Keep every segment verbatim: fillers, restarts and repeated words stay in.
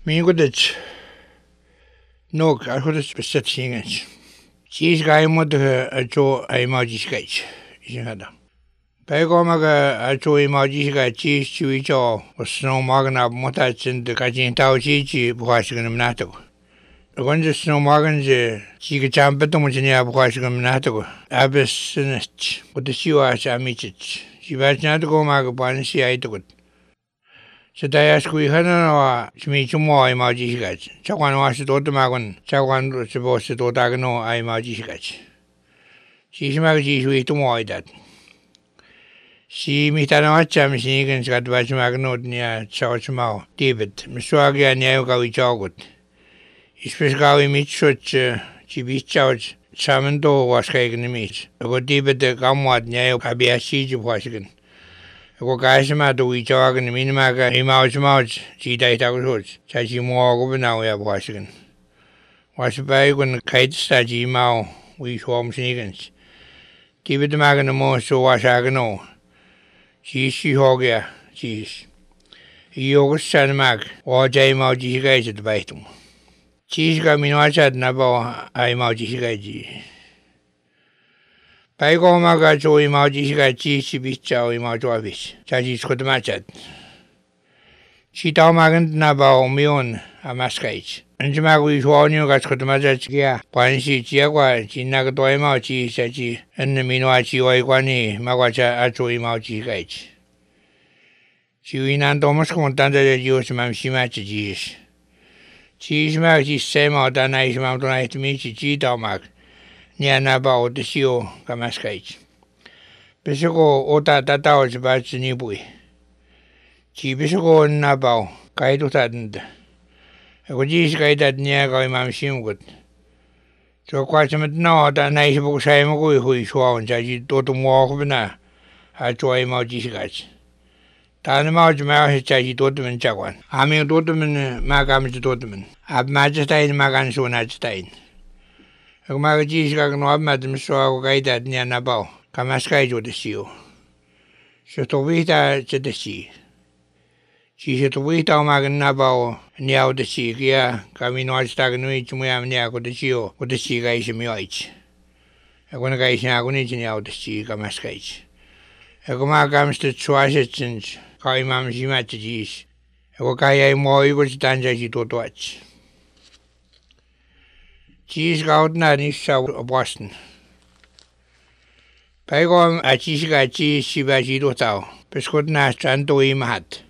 Mingudet nog arhudet beset singens. Sis gaimod a jo a imagishkach. Ishada. Paigomaga a jo imagishka chis chuicho was snow magna motats in the kajin tau chichi buhashigan nato. When the snow magans chiga champetomujnia buhashigan nato. Abis sinich with the shiwas amichich. She was not go magabansi I took it. So they ask we had no Shmichumo imagishkach. Chawan was to Magon, Chawan was supposed to Dagano I imagishkach. She's magis we to more that. She mitanacham sneakins got Vachmagnot near Chauchmau, David, Miswagi and Yaogawi Jogut. Especially Mitchuch, Chibi Chouch, Samando was taken the meat. I got David the Gamwad Nao Abiashi of Washington. Ko kaisma to we jog and minimaga image mouch chi dai ta ko cha chi mo go na ya Washington. Was by when kite sta ji mau we swarm sneakins. Give it the magan mo so was agano. Chi shi hogia chi. Yo san mag o jai mau ji ga ji baitum. Chi ga minwacha na ba ai mau ji ga ji. Paigomaga jo imagishka chi chibicha imajovis. Chaji skodmachat. Chitamagan naba omion amaskait. Anjamagu swanyu gas skodmachat kia. Pansi chiagua chinagdoima chi sachi and minuachi oiguani magwacha acho imagishkait. Chiwinan domus contanda de Dios mamshimach jis. Chismag is sema danais mamtonait michi chitamag. Niana ba o de sio kamaskait. Besoko ota tatao jbach ni bui. Chi besoko na ba kaido tadnd. Ego jis kaidat nia ga imam simgut. So kwachamat na da nais bu sai mo gui hui swa on jaji to to mo khbna. Ha choi ma jis gach. Tan ma jma he jaji to to men jagwan. Ami to to men ma gam to to men. Ab ma jtain ma gan so na jtain. Magajis got no madam so guide at Nianabao, Kamaskai the seal. So to wait at the sea. She said to wait on Maganabao, near the sea, yeah, coming on stagnant to me, I'm near the seal, with the sea guys in my age. I want to guys now going to near the sea, Kamaskai. I go my gums to twice since Kaimam Shimatis. I go Kaya more, you was done as you to watch. Cheese gout na ni south of Boston. Pagom a cheese got cheese shibaji do tau. Pescot na santo i mahat.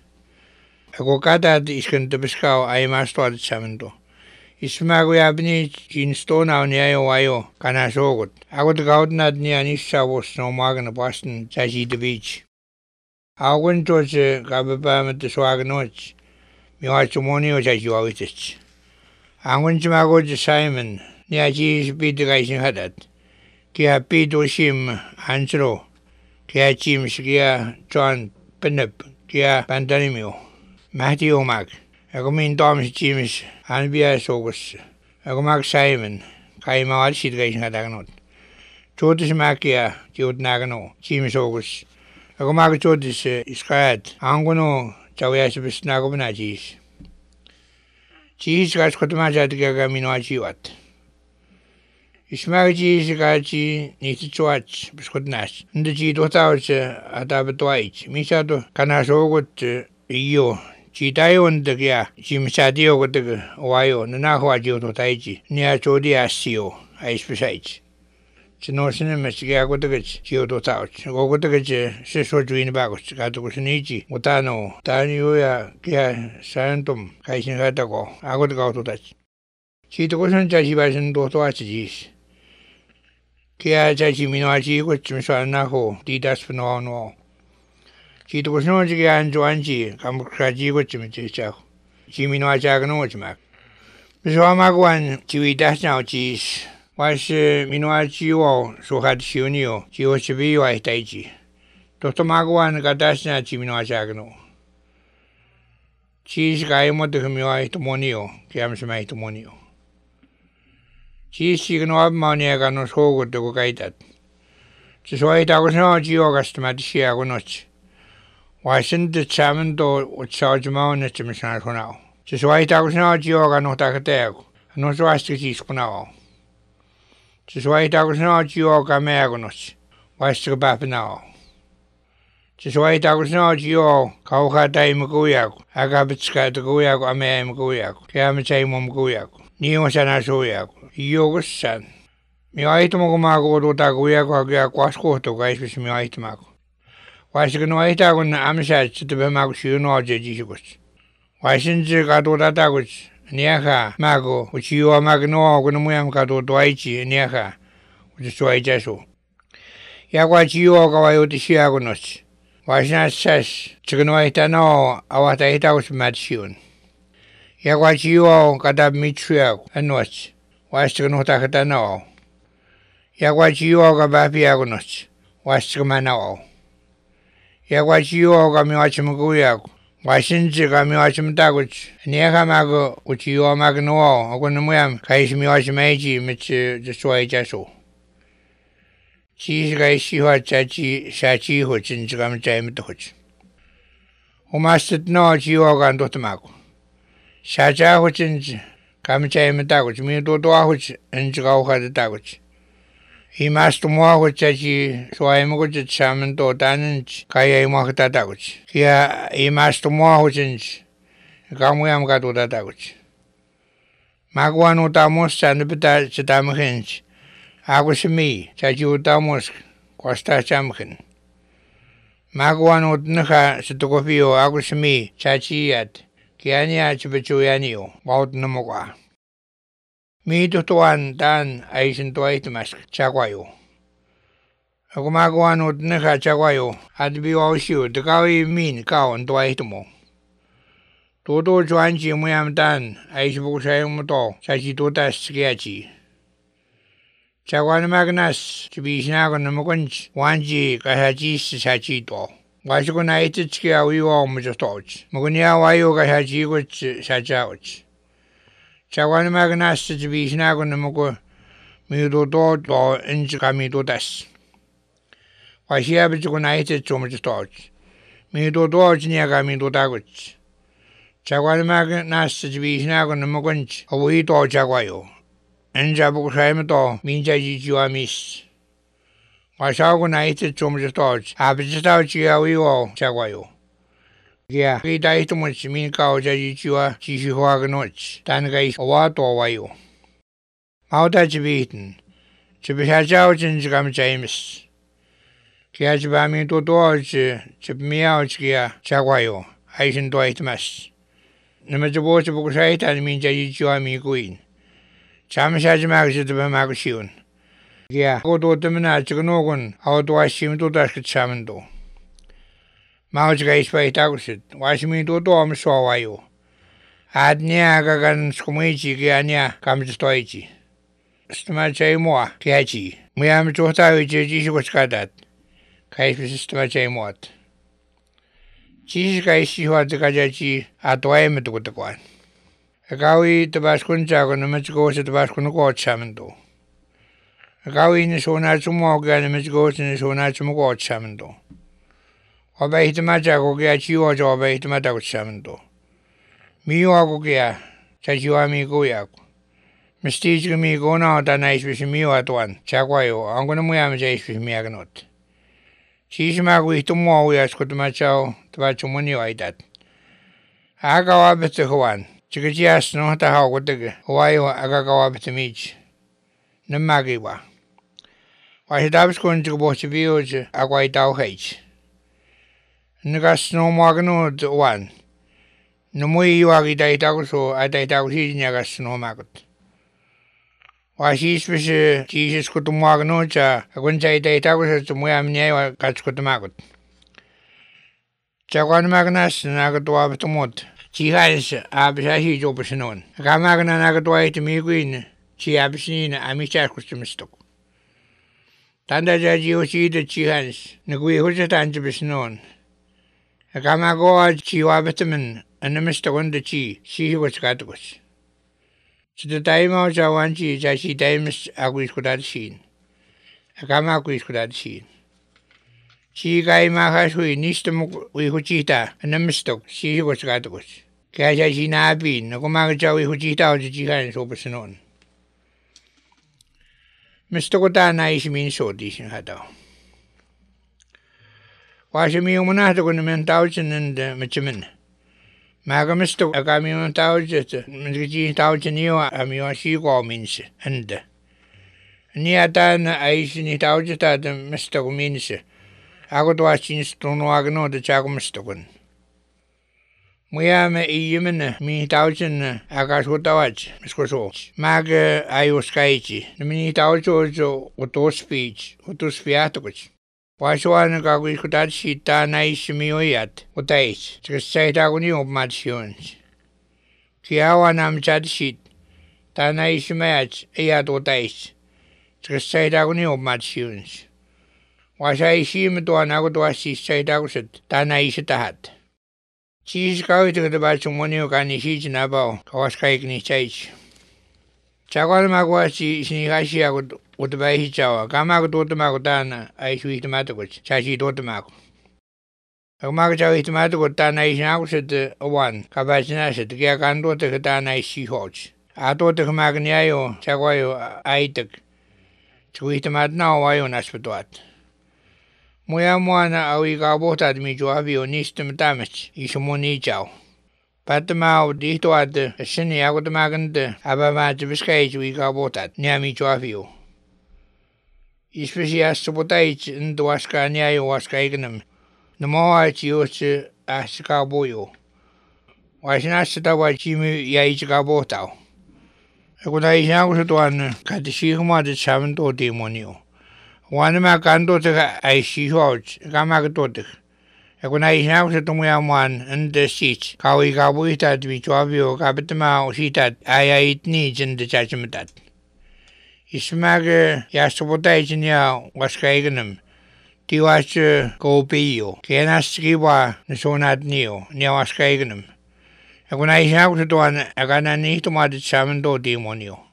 A cocata is going to pescao I must start samento. Ismago abni in stone out near Ohio, Canasogot. I got gout not near Nissa was no magan of Boston, Sashi the beach. I went to the Gababam at the Swaganoch. Me watch money as you always it. I went to my go to Simon. Nia cheese beat the guys in Hadat. Kia Pito Shim, Ansro. Kia Chim Skia, John Penep, Kia Pantanimio. Matthew Omak. I go mean Tom's Chims, Anbia Sogus. I go Mac Simon. Kaima all shit guys in Hadaganot. Chotis Makia, Jod Nagano, Chims Ogus. I go Mac Chotis Iskat, Angono, Chawias Nagomana cheese. Cheese got Kotomaja to Gagamino Chiwat. Ismaji Gachi needs to watch, Biscuit Nash. And the G dot out at Abatwich. Misato Canasogot, Io, Chitayo and the Gia, Chimsadio with the Ohio, Nanahuajo to Taiji, near Chodia Sio, I speciate. Chinosin Messiga got the Gio dot out. Go with the Sisso Dream Bagos, Gato Mutano, Tanioya, Gia, Santum, Kaisin Hatago. I got to go to that. Chitosan Jajibasan dot watches. Kia Jaji Minaji, which Mishanaho, Didas Pano. She was no Jigan Joanji, Kamkraji, which Michel. Jimino Jaganochmak. Miss Ramagwan, Chiwi Dash now cheese. Was Minoachi, so had Shunio, she was to be white Taiji. Doctor Magwan got Dashna Chimino Jagano. Cheese guy motor Humio to Monio, Kiamsmai to Monio. Cheese chicken or money I got no so good to go guide that. So I was no Geogast Matishia or not. Why send the salmon door with charge mountain at the machine for now? Se suaitakus no jioga no takateaku. No suasti kiiskunao. Se suaitakus no jioga meakunos. Vaistu päpinao. Se suaitakus no jio kaukaa taimukujaku. Akapitska tukujaku ameamukujaku. Kiamitsaimukujaku. Niin on sana sujaku. Jokussan. Mi aihtumaku maaku otuta kujaku hakia kuaskuhtu kaispis mi aihtumaku. Vaistu no aihtakun amsaat sitten maaku syynoo jejisukus. Vaisinzi katu tatakus niaka maaku uchiwa maaku no kun muyam katu tuaichi niaka uchi suaichasu. Ja kwa chiwa kawa yuti siakunos. Vaisnassas tsikno aihta no awata aihtakus matsiun. Ja kwa chiwa kata mitsuyaku anuas. Vaistu no takata no. Ja kwa chiwa ka bapiakunos. Vaistu manao. Ja kwa chiwa ka miwachimukuyaku. Vaisinzi ka miwachimutakut. Niaka maaku uchiwa maaku no kun muyam kaisi miwachimaiji mitsi suaichasu. Chis kai siwa chachi sachi ho chinchi kam chai mit ho. Umastit no chiwa kan dotmaku. Sacha ho chinchi kam chai mit taku mi do do ho chinchi ka ho ta ku. Imastu mo ho chachi suai mo ko chamen to tanin kai mo ka ta ku. Kia imastu mo ho chinchi kamu yam ka to ta ku. Magwanu ta mo san bita chitam hinch. Agus mi, chachi utamos, costa chamkin. Magwan utnaka sa tukopio, agus mi, chachi yat, kianya chipichuyanio, baut namukwa. Mi tutuan tan ay sintuaitimas, chakwayo. Ako magwan utnaka chakwayo, at biwawsiyo, takawi min kaon tuaitimo. Tuto chuanchi muyam tan ay sipukusayong mo to, chachi tutas kiachi. Chakwan magnas chibishnago namukunch wanji kahachis sachi to. Washiko na ititski awiwa mujotoch. Mugunya wayo kahachi kuch sachauch. Chakwan magnas chibishnago namuku mido to to inch kamido das. Washia bichiko na ititsko mujotoch. Mido to chinya kamido daguch. Chakwan magnas chibishnago namukunch awi to chakwayo. Enjabu kusaymato minja jijiwa mis. Wasago na iti chumjatoch. Abijitao chia wiwo chagwayo. Kia kita ito much min kao jajijiwa jishihuaga noch. Tangai owato wayo. Mauta chibitin. Chibishachao chinjigam chaimis. Kia chibami tutuoch chibmiao chia chagwayo. Aishin to itmas. Namajaboch bukusaitan minja jijiwa mikuin. Chamshaji magsi to be magushiun. Yeah, go to the Minachinogon, how do I seem to dash it Samando? Mauska is by Tagusit, wash me to Dom so are you. Ad Niagagan Skumichi Giania comes to Toichi. Stamache moi, Kiachi. We am Jota, which is was cut at. Kaifis Stamache mot. Cheese guy see what the Kajachi at Waimit with the one. Agawi tabaskuncha no mechgo se tabaskun ko chamendo. Agawi ni sona chumo ga ni mechgo se ni sona chumo ko chamendo. Obe hitmaja ko ga chiwo jo obe hitmata ko chamendo. Miyo ko ga chachiwa mi ko ya. Mistij mi ko na ta nais bis miyo atwan. Chakwayo angono mo yam jais bis mi agnot. Chishma ko hitumo ya skutmachao tabachumoni aidat. Agawa bete hwan. Chikajias no ta how would the Hawaii agagawa betamich. Namagiwa. Why had I was going to watch a view a white owl H. Nagas no magno one. No more you are died out so I died out here in Yagas no maggot. Why she's with Jesus could to magnocha, I wouldn't say died out to Moyam near catch could the maggot. Chakwan magnas and I got to have to mot. She has Abishahi Jobashanon. A Kamagana Nagatway to me green. She Abishin, I miss Mistook. Tanda Jaji see the Chihans, Nagui Hujatan to be known. A Kamagoa Chiwabataman, and the Mister Wonder Chi, she was Gatus. To the time out I want she, she times Agris could have seen. A Kamaquis could have seen. She guy Mahasui, Nistam, we Huchita, and the Mistook, she was Gatus. Kaya siya sinabi, na kumagajawi hujitaw sa jihan so pasinon. Mister ko ta na isminso di siya hataw. Wasa mi yung muna ko naman tao siya nanda machamin. Maga mister kami yung tao siya, mga tao siya niyo, ami yung siya minsa, anda. Ni ata na ay siya ni tao siya tada mister ko minsa. Ako to asin sa tunuwagan no, da siya ko mister ko. Muya me iyemen na mi tauchen na akas ko tawach misko so mag ayos kaichi na mi taucho jo auto speech auto spiatoch waswan ka ko ikutat sita na ismioyat utais tsai ta ko ni opmations kiawa nam chat shit ta na ismach ayat utais tsai ta ko ni opmations wasai shim to na ko to asi tsai ta ko sit ta na isitahat Chis kawit ko diba sumunyo ka ni si Jinabaw, kawas kaik ni Chaich. Chakwa magwa si sinikashi ako utaba hichawa, kama ko tutuma ko tana ay suwi tomato ko, chachi tutuma ko. Ako magachaw tomato ko tana ay sinako sa awan, kabachina sa kaya kanto ta ka tana ay sihoch. Ato ta kamagniayo, chakwa yo ay tak. Suwi tomato na awayo naspatuat. Muya mua na awi ka bota mi juavi o nistum damage isumuni chao. Patama dito at sini ako tamaganda abama jibiskai wi ka bota niami juavi o. Ispesias subutai ndo waska niayo waska ignam. Namoa chiyo si asika boyo. Wasinasita wa chimi ya ichika bota. Ako na isang sa tuan katishikuma de samanto demonio. Wana ma kanto ta ai shihoch kama ka totik. Ako na isang sa tumuyamuan anda sich kawi kawi ta mi chuavio kapitama o sitat ay ay itni jinde chachimitat. Ismaga yasubotay chinya waskaiganam. Tiwas kopiyo. Kaya naskiwa na sonat niyo niya waskaiganam. Ako na isang sa tuwan akana ni tumadit sa amin do demonyo.